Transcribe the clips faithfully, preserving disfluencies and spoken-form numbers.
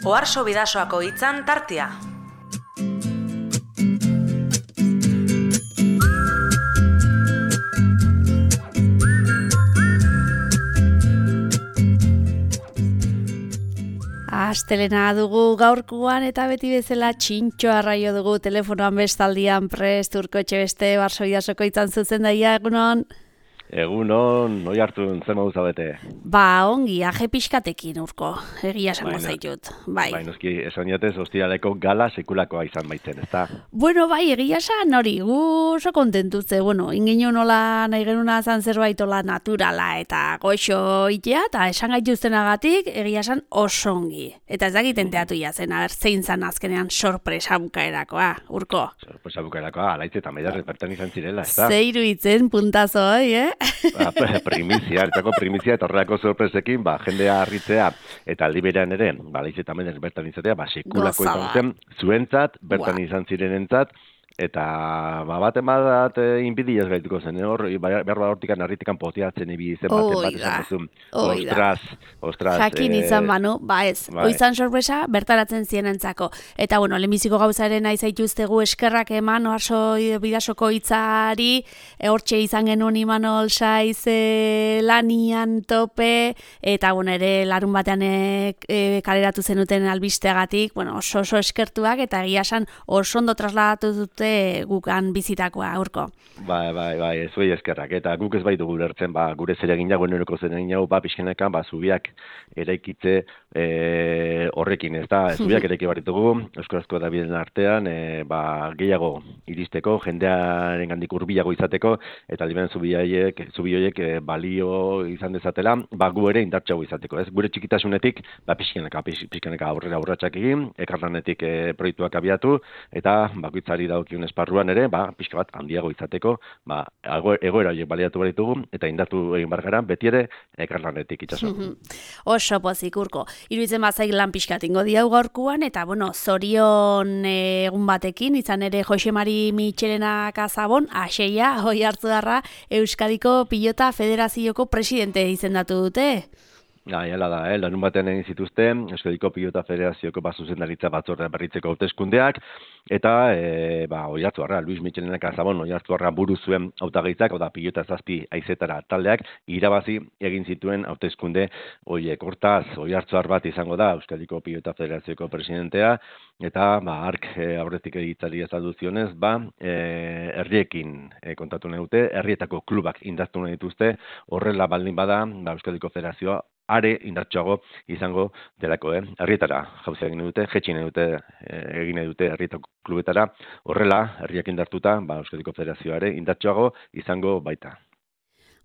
Oharso Bidasoako hitzan tartea. Astelena dugu gaurkoan eta beti bezala txintxoa arraio dugu telefonoan bestaldian prest Urkotxe beste Oharso Bidasoko hitzan zuzendaria egunon. Egunon, noi hartu zen modu zabete. Ba, ongi, aje pixkatekin urko, egia esango zaitut. Bai, bai noski, esan jatez, ostiraleko gala sekulakoa izan baitzen, ezta? Bueno, bai, egia esan hori, gu oso kontentutze, bueno, inginu nola nahi genuna zan zerbait ola naturala eta goxo itea, eta esan gaituztenagatik, egia esan oso ongi. Eta ez dakiten teatu jazen, aber, zein zan azkenean sorpresa bukaerakoa, urko. Sorpresa bukaerakoa, alaitze eta maidarre bertan izan zirela, ezta? Zeiru itzen puntazo, eh? Ba, primizia, ertako primizia eta horrelako sorpresekin, ba, jendea harritzea eta aldi berean ere, ba, laiz eta menez bertan izatea, ba, sekulako izan zen, zuentzat, bertan izan zirenentzat, eta ba, bat emadat e, inbidiaz gaituko zen, hor, behar bat hortikan harritikan poteatzen ibi zen baten bat esan duzun. Ostras, ostras. Jakin izan banu, ba ez, bai. Oizan sorpresa, bertaratzen zienentzako. Eta, bueno, lehenbiziko gauzaren nahi zaituztegu eskerrak eman, Oharso Bidasoko hitzari, e, hortxe izan genuen Imanol Saiz e, lanian tope, eta, bueno, ere larun batean e, e, kaleratu zenuten albisteagatik, bueno, oso oso eskertuak, eta egia esan oso ondo trasladatu dute gukan bizitakoa aurko. Bai, bai, bai, ez bai eskerrak, eta guk ez baitu gulertzen, ba, gure zeregin jago, enoreko zeregin jago, ba, pixkenekan, ba, zubiak eraikitze e, horrekin, ez da, zubiak eraiki baritugu, euskarazko da biden artean, e, ba, gehiago iristeko, jendearen gandik urbilago izateko, eta liberen zubioiek, zubioiek e, balio izan dezatela, ba, gu ere indartxago izateko, ez, gure txikitasunetik, ba, pixkeneka, pixkeneka aurrera aurratxak egin, ekarlanetik e, proiektuak abiatu, eta bakoitzari daukiun esparruan ere, ba, pixka bat handiago izateko, ba, egoera horiek baliatu baritugu, eta indatu egin bargaran, beti ere ekarlanetik itxaso. Oso pozik urko. Iruditzen bazaik lan pixkatingo diau gaurkuan, eta, bueno, zorion egun batekin, izan ere Jose Mari Mitxelena Kazabon, aseia, hoi hartu darra, Euskadiko Pilota Federazioko presidente izendatu dute. Ja, jala da, eh? Larun batean egin zituzten, Euskadiko Pilota Federazioko zuzendaritza batzordea berritzeko hauteskundeak, eta, e, ba, Oiartzuarra, Luis Mitxelena Kazabon, Oiartzuarra buru zuen hautagaitzak, oda pilota zazpi aizetara taldeak, irabazi egin zituen hauteskunde horiek. Hortaz, Oiartzuar bat izango da, Euskadiko Pilota Federazioko presidentea, eta, ba, ark e, aurretik egitzari azaldu zionez, ba, e, herriekin e, kontatu nahi dute, herrietako klubak indartu nahi dituzte, horrela baldin bada, ba, Euskadiko Federazioa, are indartsuago izango delako, eh? Herrietara jauzia egin dute, jetxi nahi dute, egin nahi dute herrietako klubetara, horrela, herriak indartuta, ba, Euskadiko Federazioare indartsuago izango baita.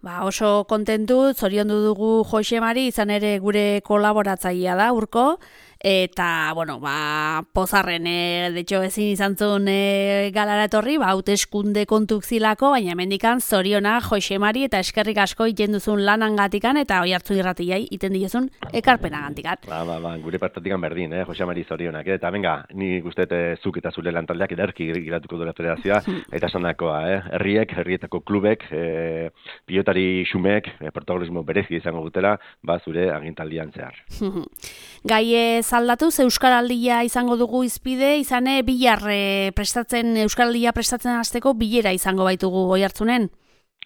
Ba, oso kontentu, zoriondu dugu Jose Mari, izan ere gure kolaboratzailea da, urko, eta, bueno, ba, pozarren, e, de hecho, ezin izan zuen e, galara etorri, ba, hauteskunde kontuk zilako, baina mendikan zoriona Jose Mari eta eskerrik asko iten duzun lanangatikan, eta oi hartzu irratiai iten diozun ekarpenagantikat. Ba, ba, ba, gure partatikan berdin, eh, Jose Mari zorionak, eh? Eta venga, ni guztet zuk eta zure lantaldeak ederki giratuko dure federazioa, eta esandakoa, eh? Herriek, herrietako klubek, e, pilotari xumeek, e, protagonismo berezi izango dutela, ba, zure agintaldian zehar. Gai aldatuz, Euskaraldia izango dugu izpide, izane bihar e, prestatzen, Euskaraldia prestatzen hasteko bilera izango baitugu Oiartzunen.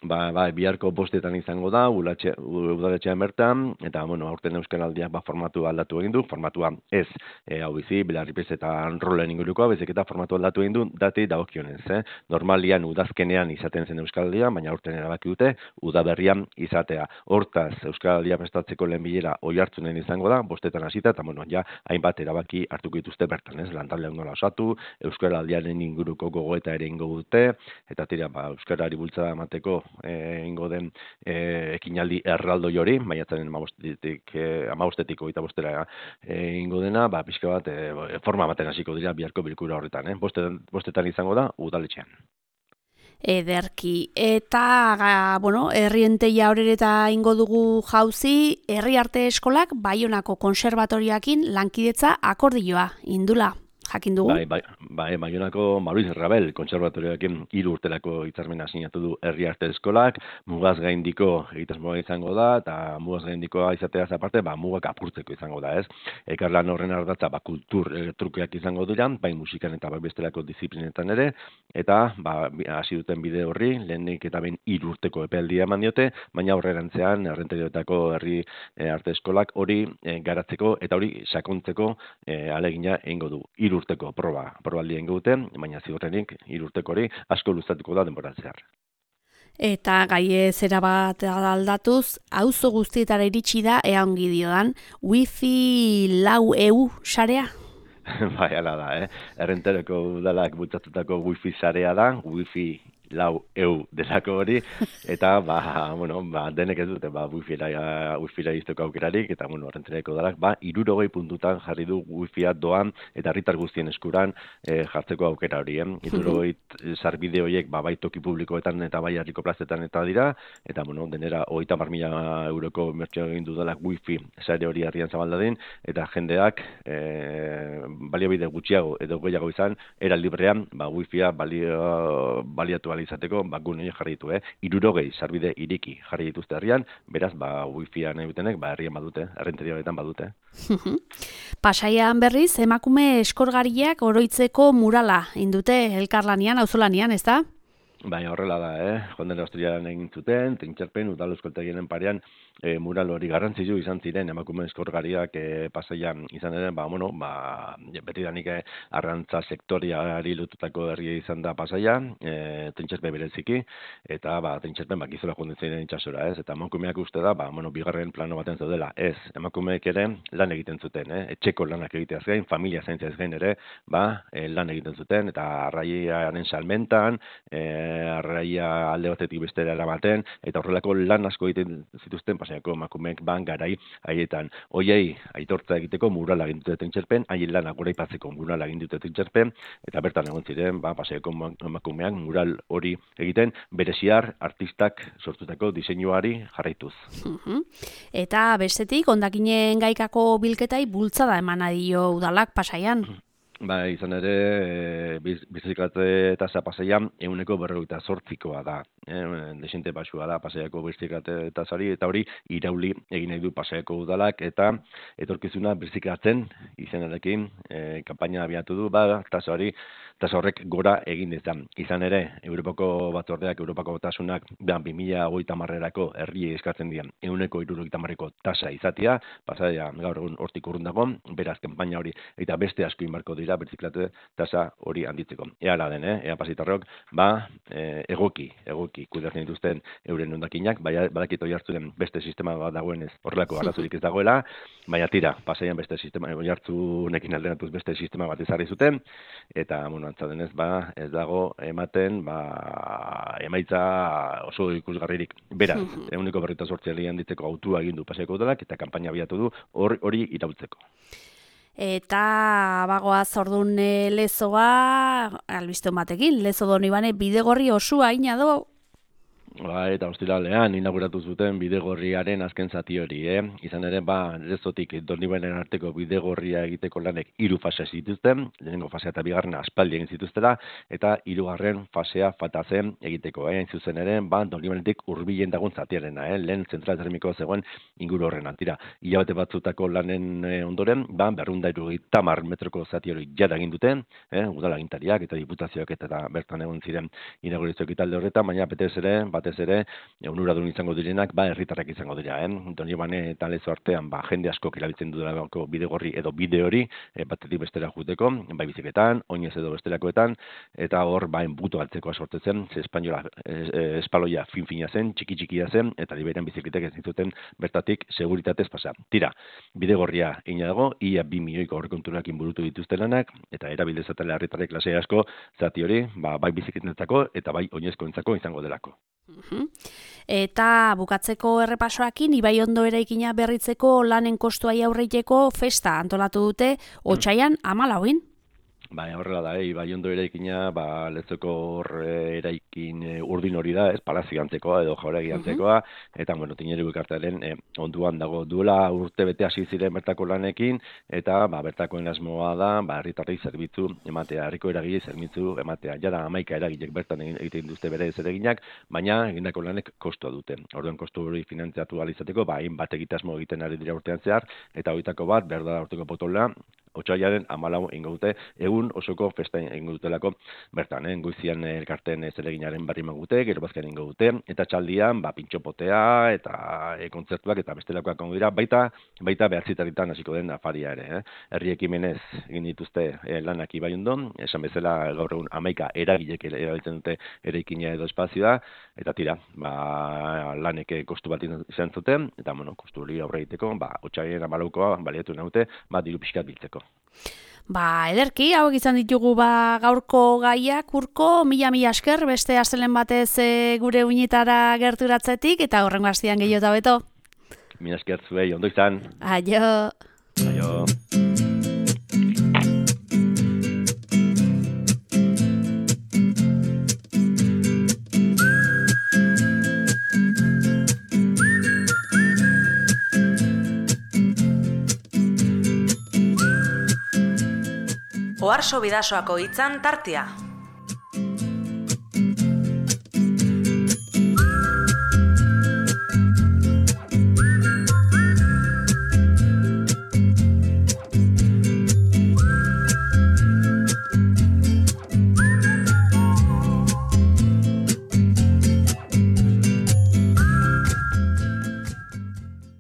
Ba, ba, biharko bostetan izango da, udaletxean bertan, eta, bueno, aurten Euskaraldiak ba, formatu aldatu egin du, formatua ez, e, hau bizi, belarripez eta rolen ingurukoa, bezik eta formatu aldatu egin du, dati dagokionez, eh? Normalian udazkenean izaten zen Euskaraldia, baina aurten erabaki dute, udaberrian izatea. Hortaz, Euskaraldia prestatzeko lehen bilera Oiartzunen izango da, bostetan hasita, eta, bueno, ja, hainbat erabaki hartuko dituzte bertan, ez? Lantaldeak nola osatu, Euskaraldiaren inguruko gogoeta ere ingo dute, eta tira, ba, Euskarari bultzada emateko ingo den e, ekinaldi erraldoi hori, maiatzaren amabostetik, e, amabostetik oita bostera e, ingo dena, ba, pixka bat e, forma baten hasiko dira biharko bilkura horretan, eh? Bostetan, bostetan izango da, udaletxean. Ederki. Eta, bueno, herrienteia horreta ingo dugu jauzi, herri arte eskolak Baionako konserbatoriakin lankidetza akordioa, indula. jakin dugu. Bai, bai, bai, Baionako Mauriz Rabel kontserbatorioekin hiru urterako hitzarmena sinatu du Herri Arte Eskolak, mugaz gaindiko egitasmoa izango da, eta mugaz gaindikoa izateaz aparte, ba, mugak apurtzeko izango da, ez? Ekarlan horren ardatza, ba, kultur e, trukeak izango dira, bai musikan eta bai bestelako disiplinetan ere, eta ba, hasi duten bide horri, lehenik eta behin hiru urteko epealdia eman diote, baina aurrerantzean Errenteriotako Herri e, Arte Eskolak hori e, garatzeko eta hori sakontzeko e, alegina egingo du. Hiru urteko proba, probaldia egingo dute, baina ziurrenik hiru urteko hori asko luzatuko da denboran zehar. Eta gaie zera bat aldatuz, auzo guztietara iritsi da ea ongi diodan, wifi lau eu sarea? Bai, ala da, eh? Errenteroko udalak bultzatutako wifi sarea da, wifi lau eu delako hori, eta, ba, bueno, ba, denek ez dute, ba, wifira, wifira izteko aukerarik, eta, bueno, Errentereko udalak, ba, hirurogei puntutan jarri du wifia doan, eta herritar guztien eskuran e, jartzeko aukera hori, eh? Hirurogei sarbide horiek, ba, bai toki publikoetan eta bai herriko plazetan eta dira, eta, bueno, denera hogeita hamar mila euroko mertxio egin dudalak wifi sare hori herrian zabaldadin, eta jendeak e, baliabide gutxiago edo gehiago izan, era librean, ba, wifia balio, baliatu izateko, ba, gune jarri ditu, eh? Hirurogei sarbide iriki jarri dituzte herrian, beraz, ba, wifia nahi dutenek, ba, herrian badute, Errenterioetan badute. Pasaian berriz, emakume eskorgariak oroitzeko murala indute elkarlanian, auzolanean, ez da? Baina horrela da, eh? Jonden Austrian egin zuten, Trintxerpen, udal euskaltegienen parean, e, mural hori garrantzitsu izan ziren emakume eskorgariak e, pasaian izan ere, ba, bueno, ba, betidanik e, arrantza sektoriari lotutako herria izan da pasaia, e, Trintxerpen bereziki, eta, ba, Trintxerpen, ba, gizola jonden ziren itxasora, ez? Eta emakumeak uste da, ba, bueno, bigarren plano baten zaudela, ez, emakumeek ere lan egiten zuten, eh? Etxeko lanak egiteaz gain, familia zaintzeaz gain ere, ba, e, lan egiten zuten, eta arraiaren salmentan, e, arraia alde batetik bestera eramaten, eta horrelako lan asko egiten zituzten pasaiako emakumeek ban garai haietan. Hoiei aitortza egiteko murala egin dute Trintxerpen, haien lanak goraipatzeko murala egin dute Trintxerpen, eta bertan egon ziren, ba, pasaiako emakumeak mural hori egiten, bereziar artistak sortutako diseinuari jarraituz. Eta bestetik, hondakinen gaikako bilketai bultzada emana dio udalak pasaian. Ba, izan ere, e, biz, biziklate tasa pasaian ehuneko berrogeita zortzikoa da. E, desente basua da pasaiako biziklate tasari, eta hori irauli egin nahi du pasaiako udalak, eta etorkizuna biziklatzen izenarekin e, kanpaina abiatu du, ba, tasa hori, tasa horrek gora egin dezan. Izan ere, Europako batzordeak, Europako batasunak, bi mila hogeita hamarrerako herriei eskatzen dian, ehuneko hirurogeita hamarreko tasa izatea, pasaia gaur egun hortik urrun dago, beraz kanpaina hori, eta beste asko inbarko dira berziklate tasa hori handitzeko. Ea la den, eh? Ea pasitarrok, ba, e, egoki, egoki kudeatzen dituzten euren hondakinak, baina badakit hori hartzuren beste sistema bat dagoenez horrelako arazorik ez dagoela, baina tira, pasaian beste sistema, hori hartzunekin alderatuz beste sistema bat ezarri zuten, eta, bueno, antza denez, ba, ez dago ematen, ba, emaitza oso ikusgarririk. Beraz, ehuneko berrogeita zortzi handitzeko autua egin du pasaiako udalak, eta kanpaina abiatu du hori hori iraultzeko. Eta bagoaz ordun lezoa, albiste batekin, lezo Donibane bidegorri osua ina do. Ba, eta ostiralean inauguratu zuten bidegorriaren azken zati hori, eh? Izan ere, ba, lezotik Donibanen arteko bidegorria egiteko lanek hiru fase zituzten, lehenengo fasea eta bigarrena aspaldi egin zituztela, eta hirugarren fasea falta zen egiteko, eh? Hain zuzen ere, ba, Donibanetik hurbilen dagoen zatiarena, eh? Lehen zentral termiko zegoen inguru horren antira. Hilabete batzutako lanen eh, ondoren, ba, berrehun eta hirurogeita hamar metroko zati hori jada egin duten, eh? Udalagintariak eta diputazioak eta bertan egon ziren inaugurazio ekitaldi horretan, baina betez ere, batez ere, onuradun izango direnak, ba, herritarrak izango dira, eh? Donibane eta lezo artean, ba, jende askok erabiltzen dudalako bidegorri edo bide hori, e, batetik bestera juteko, bai biziketan, oinez edo bestelakoetan, eta hor, ba, enbuto altzekoa sortetzen, ze espainola, e, espaloia fin-fina zen, txiki-txikia zen, eta liberian bizikletek ez dituten bertatik seguritatez pasa. Tira, bidegorria ina dago, ia bi milioiko aurrekonturak inburutu dituzte lanak, eta erabildezatela herritarrek lasai asko, zati hori, ba, bai bizikletentzako eta bai oinezkoentzako izango delako. Eta bukatzeko errepasoakin, Ibai Ondo eraikina berritzeko lanen kostuai aurreiteko festa antolatu dute, otsaian hamalauin. Ba, horrela da, eh? Ibaiondo eraikina, ba, Lezoko hor eraikin e, urdin hori da, ez, palazio antzekoa edo jauregi antzekoa, eta, bueno, Tineru elkartearen e, onduan dago duela urte bete hasi ziren bertako lanekin, eta, ba, bertakoen asmoa da, ba, herritarrei zerbitzu ematea, herriko eragile zerbitzu ematea. Jada hamaika eragilek bertan egiten duzte bere zereginak, baina egindako lanek kostua dute. Orduan kostu hori finantziatu ahal izateko, ba, hainbat egitasmo egiten ari dira urtean zehar, eta horietako bat, berda urteko potola, otsailaren hamalau ingo dute, egun osoko festa ingo dutelako bertan, eh? Goizian elkarteen zereginaren barri magute, gero bazken ingo dute, eta txaldian, ba, pintxopotea, eta e, kontzertuak, eta bestelakoak ongo dira, baita, baita behatzitaritan hasiko den afaria ere. Eh? Herri ekimenez egin dituzte e, lanak Ibaiondon, esan bezala gaur egun hamaika eragilek erabiltzen dute eraikina edo espazioa, eta tira, ba, lanek kostu bat izan zuten, eta, bueno, kostu hori aurre egiteko, ba, otsailaren hamalaukoa baliatu naute, ba, diru pixkat biltzeko. Ba, ederki, hauek izan ditugu ba gaurko gaiak, Urko, mila-mila esker, beste astelen batez e, gure uinetara gerturatzetik, eta horrengo astian gehiago eta beto. Mila esker zuei, ondo izan. Aio. Aio. Oharso Bidasoako hitzan tartea.